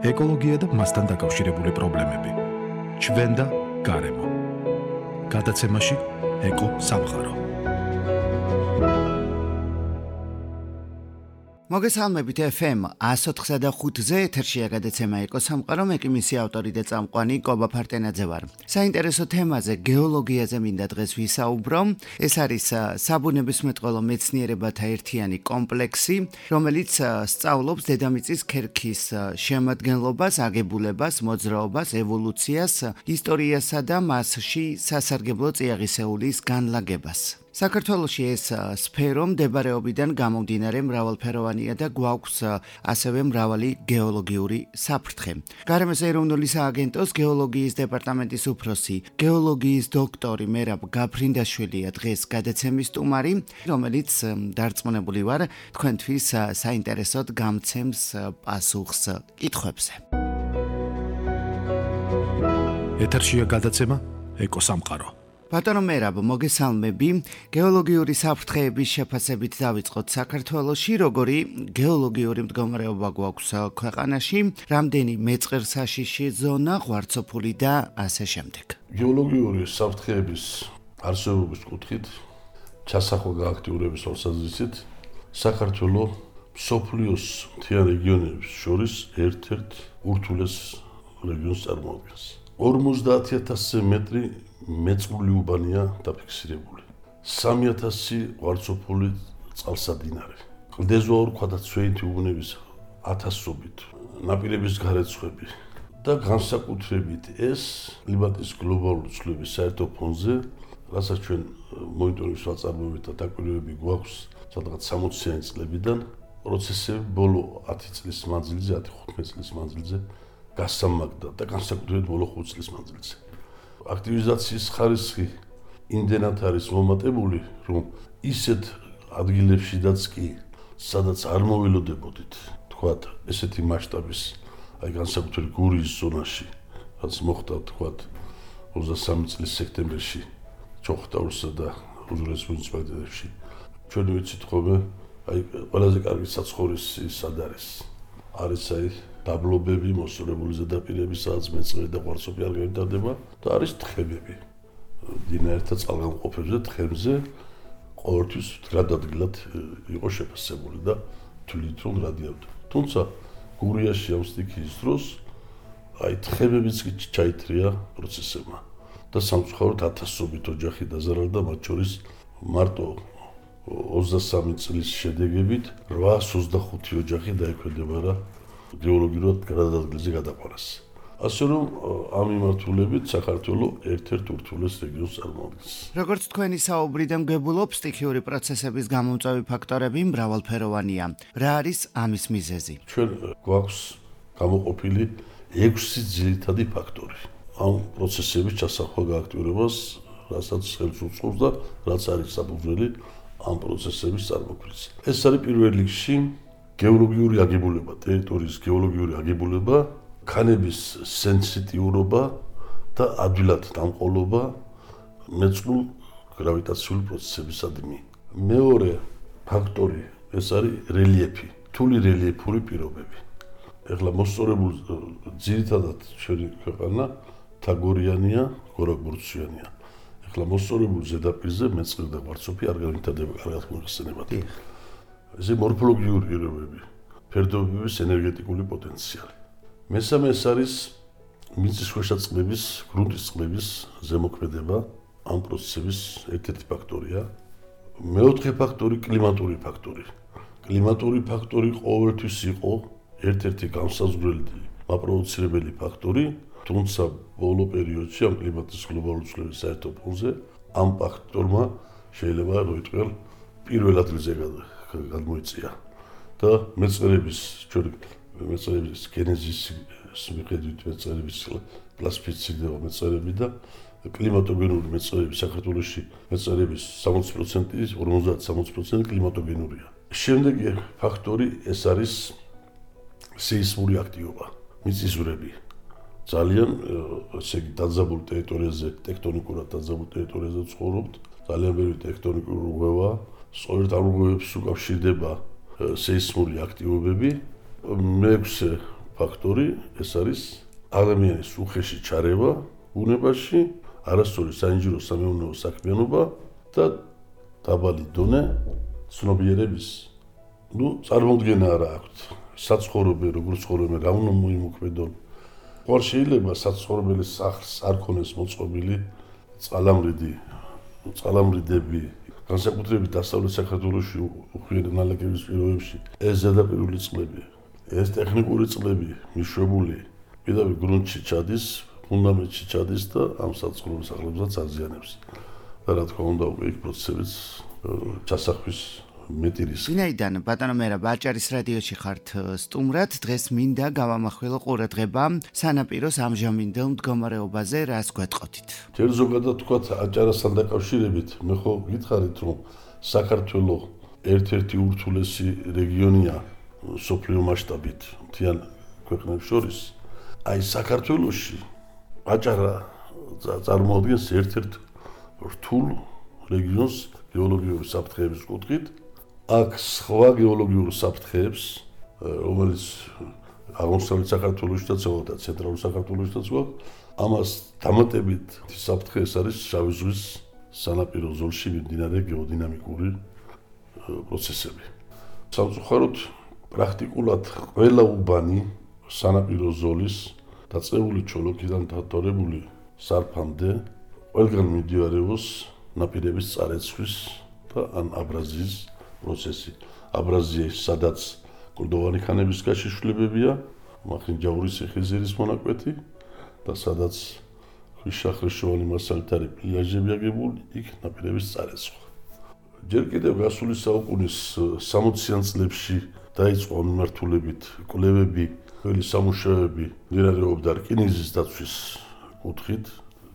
ეკოლოგია და მასთან დაკავშირებული პრობლემები. ჩვენ და გარემო. გადაცემაში ეკო სამყარო. მოგესალმებით FM 104.5-ზე ეთერშია გადაცემა ეკო სამყარო, მე კი მისი ავტორი და წამყვანი კობა ფარტენაძე ვარ. საინტერესო თემაზე, გეოლოგიაზე მინდა დღეს ვისაუბრო. ეს არის საბუნებისმეტყველო მეცნიერებათა ერთიანი კომპლექსი, რომელიც სწავლობს დედამიწის ქერქის შემადგენლობას, აგებულებას, მოძრაობას, ევოლუციას, ისტორიასა და მასში სასარგებლო წიაღისეულის განლაგებას. საქართველოში ეს სფერო მდებარეობიდან გამომდინარე მრავალფეროვანია და გვაქვს ასევე მრავალი გეოლოგიური საფრთხე. გარემოს ეროვნული სააგენტოს გეოლოგიის დეპარტამენტის უფროსი, გეოლოგიის დოქტორი მერაბ გაფრინდაშვილია დღეს გადაცემის სტუმარი, რომელიც დარწმუნებული ვარ თქვენთვის საინტერესოდ გამცემს პასუხს კითხვებზე. ეთერშია გადაცემა ეკო სამყარო. ბატონო მერაბ, მოგესალმები. გეოლოგიური საფრთხეების შეფასებით დავიწყოთ საქართველოში, როგორი გეოლოგიური მდგომარეობა გვაქვს ქვეყანაში, რამდენი მეწყერსაშიში ზონა, ღვარცოფული და ასე შემდეგ. გეოლოგიური საფრთხეების არსებობის კუთხით, ჩასახვა გააქტიურების თვალსაზრისით, საქართველო მსოფლიოს მთიან რეგიონების შორის ერთ-ერთ ურთულეს რეგიონს წარმოადგენს. 50,000 მეტრი მეწყრული უბანია დაფიქსირებული. 3,000 ღვარცოფული წყალსადინარი. კლდეზუაურ ქვადაცვეითი უბნების ათასობით, ნაპირების გარეცხები და განსაკუთრებით ეს კლიმატის გლობალური ცვლილების საერთო ფონზე, რასაც ჩვენ მონიტორინგის საწარმოებით და დაკვირვებები გვაქვს სადღაც 60-იანი წლებიდან, პროცესები ბოლო 10 წლის მანძილზე, 10-15 წლის მანძილზე გასამაგდა და განსაკუთრებით ბოლო 5 წლის მანძილზე. აქტივიზაციის ხარისხი იმდენად არის მომატებული, რომ ისეთ ადგილებშიდაც კი, სადაც არ მოველოდებოდით, თქვათ, ესეთი მასშტაბის, განსაკუთრებით გურიის ზონაში, რაც მოხდა, თქვათ, 23 წლის სექტემბერში, ჩოხტაურსა და უძველეს მუნიციპალიტეტებში. ჩვენ ვიცით ხოლმე, ყველაზე კარგი საცხოვრისი სად არის? არის დაბლობები, მოსწორებული ზედაპირები, სადაც მეწყერი და ღვარცოფი არ განვითარდება და არის თხემები. მდინარეთა წყალგამყოფებზე, თხემზე ყოველთვის მდგრად იყო შეფასებული და თვლით რომ რადიავდა. თუმცა გურიაში ამ სტიქიის დროს თხემებიც კი ჩაითრია პროცესებმა და სამწუხაროდ ათასობით ოჯახი დაზარალდა, მათ შორის მარტო 23 წლის შედეგებით 825 ოჯახი დაექვემდებარა გეოლოგიურად გადაადგილზე გადაყვანას. ასე რომ ამ მიმართულებით საქართველო ერთ-ერთ ურთულეს რეგიონს წარმოადგენს. როგორც თქვენი საუბრიდან გვგებულობ, სტიქიური პროცესების გამომწვევი ფაქტორები მრავალფეროვანია. რა არის ამის მიზეზი? ჩვენ გვაქვს გამოყოფილი 6 ძირითადი ფაქტორი. ამ პროცესების ჩასახვა გააქტიურებას, რასაც ხელს უწყობს და რაც არის საფუძველი ამ პროცესების წარმოქმნის. ეს არის პირველ რიგში გეოლოგიური აგებულება, ტერიტორიის გეოლოგიური აგებულება, ქანების სენსიტიურობა და ადვილად დამყოლობა მეწყრულ გრავიტაციული პროცესებისადმი. მეორე ფაქტორი ეს არის რელიეფი, რთული რელიეფური პირობები. ეხლა მოსწორებული ძირითადად ჩვენი ქვეყანა თაგორიანია, გორაკბურციანია. ეხლა მოსწორებული ზედაპირზე მეწყერი და ღვარცოფი არ განვითარდება კარგად მოიხსენებათ. ეს მორფოლოგიური პირობები, ფერდობების ენერგეტიკული პოტენციალი. მესამე ეს არის მიწისქვეშა წყლების, გრუნტის წყლების ზემოქმედება, ამ პროცესების ერთ-ერთი ფაქტორია. მეოთხე ფაქტორი კლიმატური ფაქტორი. კლიმატური ფაქტორი ყოველთვის იყო ერთ-ერთი განსაზღვრელი მაპროვოცირებელი ფაქტორი, თუმცა ბოლო პერიოდში ამ კლიმატის გლობალური ცვლილების საერთო ფონზე ამ ფაქტორმა შეიძლება როიტყელ პირველ ადგილზე გადმოიწია და მეწყერების გენეზის მიხედვით მეწყერების კლასიფიცირდება მეწყერები და კლიმატოგენური მეწყერები საქართველოში მეწყერების 60%, 50-60% კლიმატოგენურია. შემდეგი ფაქტორი ეს არის სეისმური აქტივობა, მიწისძვრები. ძალიან ესე იგი დაძაბულ ტერიტორიაზე, ტექტონიკურად დაძაბულ ტერიტორიაზე ცხოვრობთ, ძალიან ბევრი ტექტონიკური რღვევა, სწორედ ამ რღვევებს უკავშირდება სეისმური აქტივობები. მეექვსე ფაქტორი ეს არის ადამიანის უხეში ჩარევა ბუნებაში, არასწორი საინჟინრო სამეურნეო საქმიანობა და დაბალი დონე ცნობიერების წარმოუდგენა არა აქვთ. საცხოვრებელი, როგორც ცხოვრობენ, რა უნდა მოიმოქმედონ. ხوار შეიძლება საცხოვრებელის სახლს არ ქონდეს მოწყობილი წყალამრიდები, განსაკუთრებით დასავლეთ საქართველოში უხვიერი ნალექების პირობებში ეს ზედაპირული წყლები, ეს ტექნიკური წყლები მიშვებული პირდაპირ გრუნტში ჩადის, ფუნდამენტში ჩადის და ამ საცხოვრებელ სახლებსაც აზიანებს. და რა თქმა უნდა, უკვე იქ პროცესებიც ჩასახვის მეტი რისკი. ვინაიდან ბატონო მერაბ აჭარის რადიოში ხართ სტუმრად, დღეს მინდა გავამახვილო ყურადღება სანაპიროს ამჟამინდელ მდგომარეობაზე, რას გვეტყოდით? ჯერ ზოგადად თქვათ აჭარასთან დაკავშირებით, მე ხო გითხარით, რომ საქართველო ერთ-ერთი ურთულესი რეგიონია სოფლიო მასშტაბით მთიან ქვეყნებს შორის. აი საქართველოში აჭარა წარმოადგენს ერთ-ერთ რთულ რეგიონს გეოლოგიური საფრთხეების კუთხით. აქ სხვა გეოლოგიურ საფრთხეებს, რომელიც აღმოსავლეთ საქართველოშიც და ცენტრალურ საქართველოშიც გვაქვს, ამას დამატებით საფრთხე ეს არის შავი ზღვის სანაპირო ზოლში მიმდინარე გეოდინამიკური პროცესები. სამწუხაროდ პრაქტიკულად ყველა უბანი სანაპირო ზოლის დაწყებული ჩოლოქიდან დადორებული სარფამდე ყველგან მიმდინარეობს ნაპირების წარეცხვის და ან აბრაზიის პროცესი. აბრაზიაში სადაც კლდოვანი ქანების გაშიშვლებებია, მახინჯაურის ციხისძირის მონაკვეთი და სადაც ქვიშახრიშოვანი მასალითარი პლიაჟები აგებული, იქ ნაპირების წარეცხვა. ჯერ კიდევ გასული საუკუნის 60-იან წლებში დაიწყო მიმართულებით კვლევები, ძველი სამუშაოები მიმდინარეობდა რკინიგზის დაცვის კუთხით,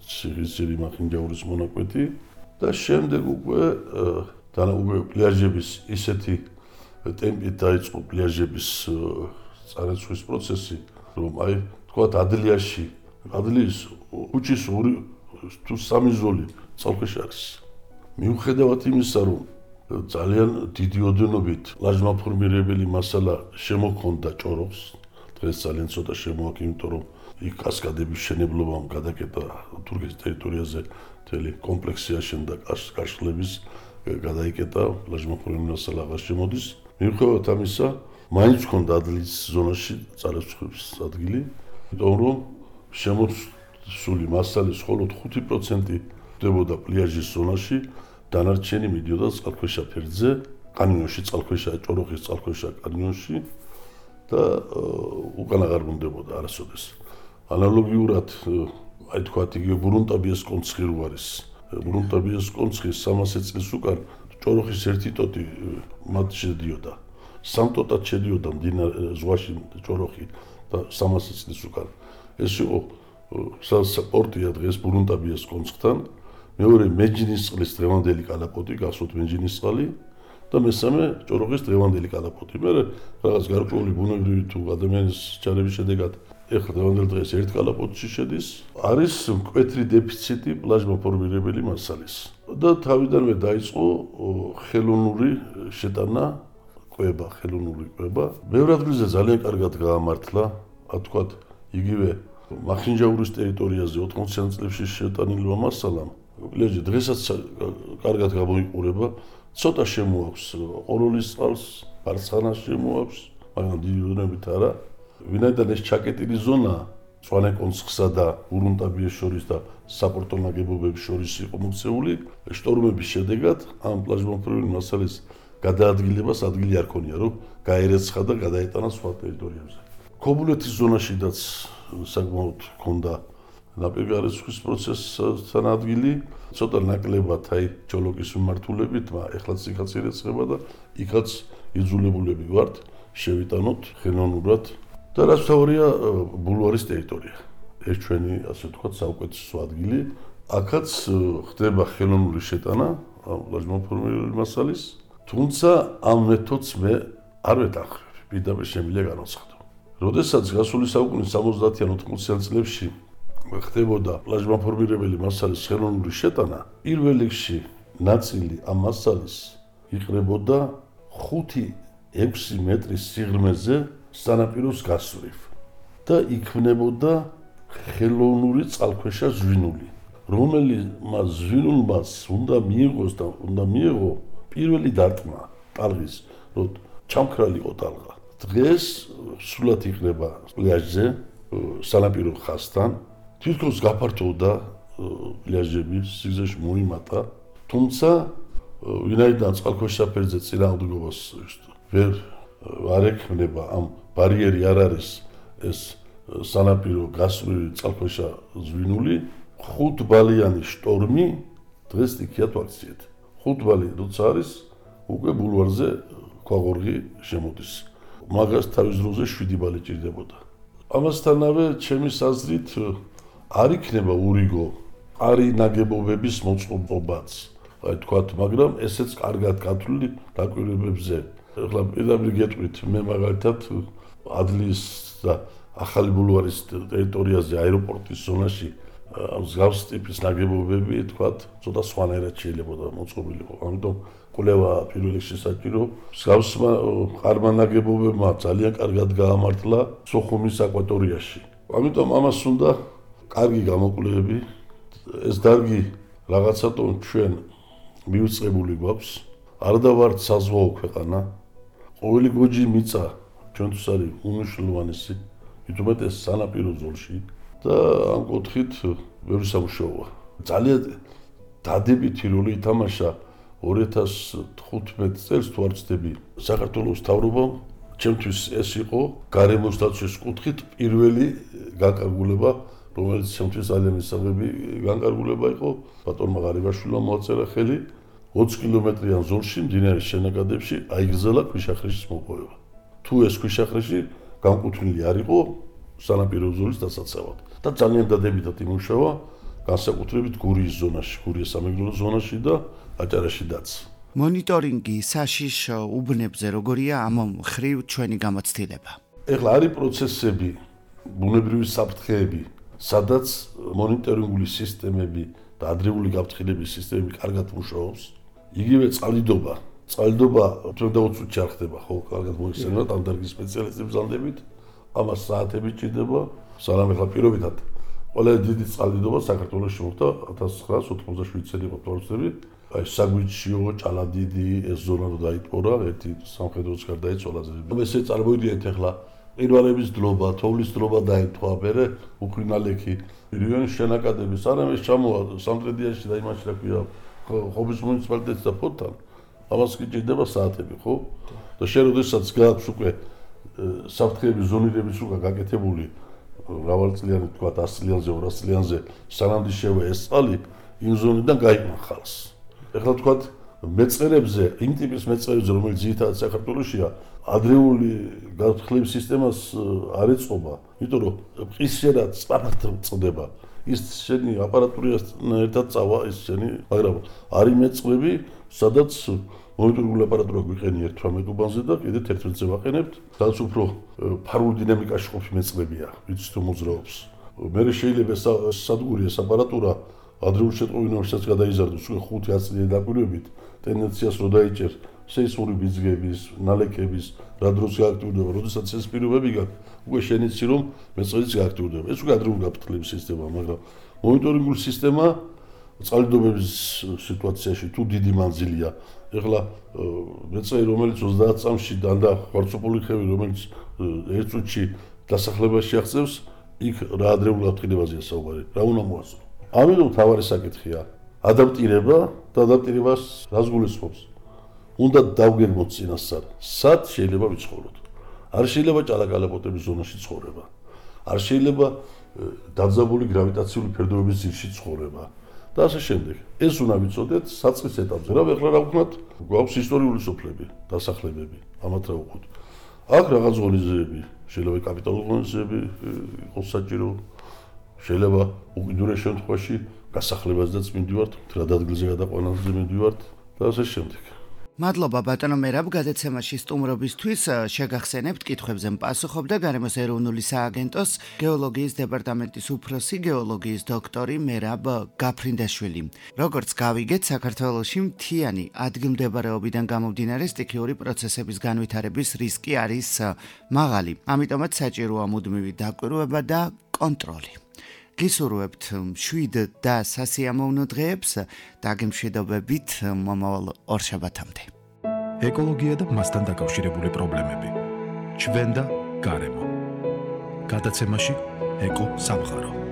ციხისძირი მახინჯაურის მონაკვეთი და შემდეგ უკვე პლიაჟების ისეთი ტემპით დაიწყო პლიაჟების წარეცხვის პროცესი, რომ აი თქვათ ადლიის უჩის 2 თუ 3 ზოლი წყალქვეშ არის. მიუხედავად იმისა, რომ ძალიან დიდი ოდენობით ლაჟმაფორმირებელი მასალა შემოქონდა ჭოროხს, დღეს ძალიან ცოტა შემოაქვს, იმიტომ რომ იქ კასკადების შენებლობამ გადაკეტა თურქეთის ტერიტორიაზე მთელი კომპლექსი აშენდა კაშხლების გადაიკეტა ლაჟმაფორმირებული მასალა აღარ შემოდის. მიუხედავად ამისა, მაინც ჰქონდა ადლიის ზონაში წარეცხვის ადგილი, იმიტომ რომ შემოსული მასალის მხოლოდ 5% ხდებოდა პლიაჟის ზონაში, დანარჩენი მიდიოდა წყალქვეშა ფერდზე, კანიონში წყალქვეშა, ჭოროხის წყალქვეშა კანიონში და უკან აღარ ბრუნდებოდა არასოდეს. ანალოგიურად, აი თქვათ, იგივე ბრუნტაბიას კონცხი რო არის. ბრუნტაბიას კონცხის 300 წლის უკან ჭოროხის ერთი ტოტი მათ შედიოდა. 3 ტოტად შედიოდა მდინარე ზღვაში ჭოროხი და 300 წლის უკან. ეს იყო პორტია დღეს ბრუნტაბიას კონცხთან. მეორე მეჯინისწყლის დღევანდელი კალაპოტი, გახსოვთ მეჯინისწყალი და მესამე ჭოროხის დღევანდელი კალაპოტი. მე რაღაც გარკვეული ბუნებრივი თუ ადამიანის ჩარევის შედეგად ეხლა დღევანდელ დღეს ერთ კალაპოტში შედის, არის მკვეთრი დეფიციტი პლაჟმაფორმირებელი მასალის. და თავიდანვე დაიწყო ხელოვნური შეტანა, ხელოვნური კვება. ბევრ ადგილზე ძალიან კარგად გაამართლა, თქვათ, იგივე მახინჯაურის ტერიტორიაზე 80-იან წლებში შეტანილმა მასალამ. პლიაჟი დღესაც კარგად გამოიყურება, ცოტა შემოაქვს ყოროლის წყალს, ბარცხანას შემოაქვს, მაგრამ დიდი ოდენობით არა. ვინაიდან ეს ჩაკეტილი ზონა მწვანე კონცხსა და ურუნტაბიეს შორის და საპორტო ნაგებობების შორის იყო მოქცეული, შტორმების შედეგად ამ პლაჟმაფორმირებული მასალის გადაადგილებას ადგილი არ ქონია, რომ გაერეცხა და გადაეტანა სხვა ტერიტორიებზე. ქობულეთის ზონაშიდაც საკმაოდ ჰქონდა ნაპირგარეცხვის პროცესთან ადგილი, ცოტა ნაკლებად აი ჩოლოკის მიმართულებით, მაგრამ ეხლაც იქაც ირეცხება და იქაც იძულებულები ვართ შევიტანოთ ხელოვნურად. და რაც თავია ბულვარის ტერიტორია. ეს ჩვენი, ასე ვთქვათ, საუკეთესო ადგილი. აქაც ხდება ხელოვნური შეტანა ლაჟმაფორმირებული მასალის, თუმცა ამ მეთოდს მე არ ვეთანხმებ, პირდაპირ შემიძლია განვაცხადო. როდესაც გასული საუკუნის 70-იან 80-იან წლებში ხდებოდა ლაჟმაფორმირებელი მასალის ხელოვნური შეტანა, პირველ რიგში ნაწილი ამ მასალის იყრებოდა 5-6 მეტრის სიღრმეზე სანაპიროს გასწვრივ. და იქმნებოდა ხელოვნური წყალქვეშა ზვინული, რომელმაც ზვინულმაც უნდა მიიღოს და უნდა მიიღო პირველი დარტყმა ტალღის, რომ ჩამქრალიყო ტალღა. დღეს სულად იქნება პლაჟზე, სანაპირო ხაზთან, თითქოს გაფართოვდა პლაჟები, სიგრძეში მოიმატა, თუმცა ვინაიდან წყალქვეშა ფერზე წინააღმდეგობას არ ექმნება ამ ბარიერი არ არის ეს სანაპირო გასწვრივი წყალქვეშა ზვინული, 5 ბალიანი შტორმი დღეს იქიათ ვაქციეთ. 5 ბალი როცა არის, უკვე ბულვარზე ქვაღორღი შემოდის. მაგას თავის დროზე 7 ბალი ჭირდებოდა. ამასთანავე ჩემი აზრით არ იქნება ურიგო არი ნაგებობების მოწყობაც. აი თქვათ, მაგრამ ესეც კარგად გათვლილი დაკვირვებებზე. ეხლა პირდაპირ გეტყვით, მე მაგალითად ადლის და ახალი ბულვარის ტერიტორიაზე აეროპორტის ზონაში მსგავს ტიპის ნაგებობები, თქვათ, ცოტა სხვანაირად შეიძლება მოწყობილიყო. ამიტომ კვლევა პირველ რიგში საჭირო. მსგავსმა ყარმა ნაგებობებმა ძალიან კარგად გაამართლა სოხუმის აკვატორიაში. ამიტომ ამას უნდა კარგი გამოკვლევები. ეს დარგი რაღაცატონ ჩვენ მივიწყებული გვაქვს. არ დავართ საზღვაო ქვეყანა. ყოველი გოჯი მიწა ჩვენთვის არის უმნიშვნელოვანესი, მithumetes სანაპირო ზოლში და ამ კუთხით ბევრი სამუშაოა. ძალიან დადებითი როლი ითამაშა 2015 წელს თუ არ ვცდები საქართველოს მთავრობამ. ჩემთვის ეს იყო გარემოს დაცვის კუთხით პირველი განკარგულება, რომელიც ჩემთვის ძალიან მისაღები განკარგულება იყო. ბატონმა ღარიბაშვილმა მოაწერა ხელი 20 კილომეტრიან ზოლში მდინარის შენაკადებში აიგრძელა ქვიშახრიშის მოპოვება. თუ ეს ქვიშახრიში განკუთვნილი არ იყო სანაპირო ზოლის დასაცავად და ძალიან დადებითად იმუშავა განსაკუთრებით გურიის ზონაში, გურიის სამეგრელო ზონაში და აჭარაშიდაც. მონიტორინგი საშიშ უბნებზე როგორია ამ მხრივ ჩვენი გამოცდილება? ეხლა არის პროცესები, ბუნებრივი საფრთხეები, სადაც მონიტორინგული სისტემები და ადრეული გაფრთხილების სისტემები კარგად მუშაობს. იგივე წყალდიდობა ჩვენ და 20 წუთში არ ხდება, ხო, კარგად მოიხსენებათ ამ დარგის სპეციალისტებს ბრძანდებით, ამას საათები ჭირდება, სანამ ეხლა პირობითად ყველა დიდი წყალდიდობა საქართველოში მოხდა 1987 წელი იყო თორცები, აი საგვიჩიო, ჭალადიდი ეს ზონა რო დაიტყორა, ერთი სამხედროც გარდაიცვალა. ესე წარმოიდგინეთ ეხლა ყინვარების დლობა, თოვლის დლობა დაიტყვა, მერე უქრინალექი, რეგიონის შენაკადების, სანამ ეს ჩამოვა სამტრედიაში და იმაში რა ქვია, ხობის მუნიციპალიტეტს და ფოთთან, ამას კი ჭირდება საათები, ხო? და შენ როდესაც გააქვს უკვე საფრთხეების ზონირების უკვე გაკეთებული მრავალწლიანი თქვა 100 წლიანზე, 200 წლიანზე, სანამ შევა ეს წყალი იმ ზონიდან გაიმახალს. ეხლა თქვათ მეწყერებზე, იმ ტიპის მეწყერებზე, რომელიც ძირითადად საქართველოშია, ადრეული გაფრთხილების სისტემას არ ეწყობა, იმიტომ რომ ყისერად სწრაფად წდება. ის შენი აპარატურასთან ერთად წავა ის შენი, მაგრამ არის მეწყრები, სადაც მონიტორინგული აპარატურა გვიყენია 18 უბანზე და კიდე 11-ზე ვაყენებთ, სადაც უფრო ფარულ დინამიკაში ყოფი მეწყრებია, ვიცით რომ მოძრაობს. მერე შეიძლება სადგური ეს აპარატურა ადრეულ შეტყობინებასაც გადაიზარდოს უკვე 5-10 წლიანი დაკვირვებით, ტენდენციას რო დაიჭერ სეისმური ბიძგების, ნალექების, რა დროს გააქტიურდება, როდესაც ეს პირობები გაქვს, უკვე შენიცი რომ მეწყრიც გააქტიურდება. ეს უკვე ადრეული გაფრთხილების სისტემაა, მაგრამ მონიტორინგული სისტემა წყალდიდობების სიტუაციაში თუ დიდი მანძილია. ეხლა მეწყერი რომელიც 30 წამში დანდა ხვარცოპული ხევი, რომელიც 1 წუთში დასახლებაში აღწევს, იქ რა ადრეულ გაფრთხილებაზეა საუბარი, რა უნდა მოასწრო. ამიტომ თავარი საკითხია ადაპტირება და ადაპტირებას რას გულისხმობს? უნდა დავგეგმოთ წინასწარ, სად შეიძლება ვიცხოვროთ. არ შეიძლება ჭალაკალაპოტების ზონაში ცხოვრება. არ შეიძლება დაძაბული გრავიტაციული ფერდობების ძირში ცხოვრება. და ასე შემდეგ. ეს უნდა ვიცოდეთ საწყის ეტაპზე. რა ეხლა რა ვქნათ? გვაქვს ისტორიული სოფლები, დასახლებები, ამათ რა ვუყოთ. აქ რაღაც ღონისძიებები, შეიძლება კაპიტალურ ღონისძიებები იყოს საჭირო. შეიძლება უკიდურეს შემთხვევაში გასახლებაზეც მივდივართ, რა ადგილზე გადაყვანაზე მივდივართ და ასე შემდეგ. მადლობა ბატონო მერაბ გადაცემაში სტუმრობისთვის შეგახსენებთ კითხვებზე პასუხობდა გარემოს ეროვნული სააგენტოს გეოლოგიის დეპარტამენტის უფროსი გეოლოგიის დოქტორი მერაბ გაფრინდაშვილი. როგორც გავიგეთ, საქართველოში მთიანი ადგილმდებარეობიდან გამომდინარე სტიქიური პროცესების განვითარების რისკი არის მაღალი. ამიტომაც საჭიროა მუდმივი დაკვირვება და კონტროლი. გისურვებთ მშვიდ და სასიამოვნო დღეებს, დაგემშვიდობებით მომავალ ორშაბათამდე. ეკოლოგია და მასთან დაკავშირებული პრობლემები. ჩვენ და გარემო. გადაცემაში ეკო სამყარო.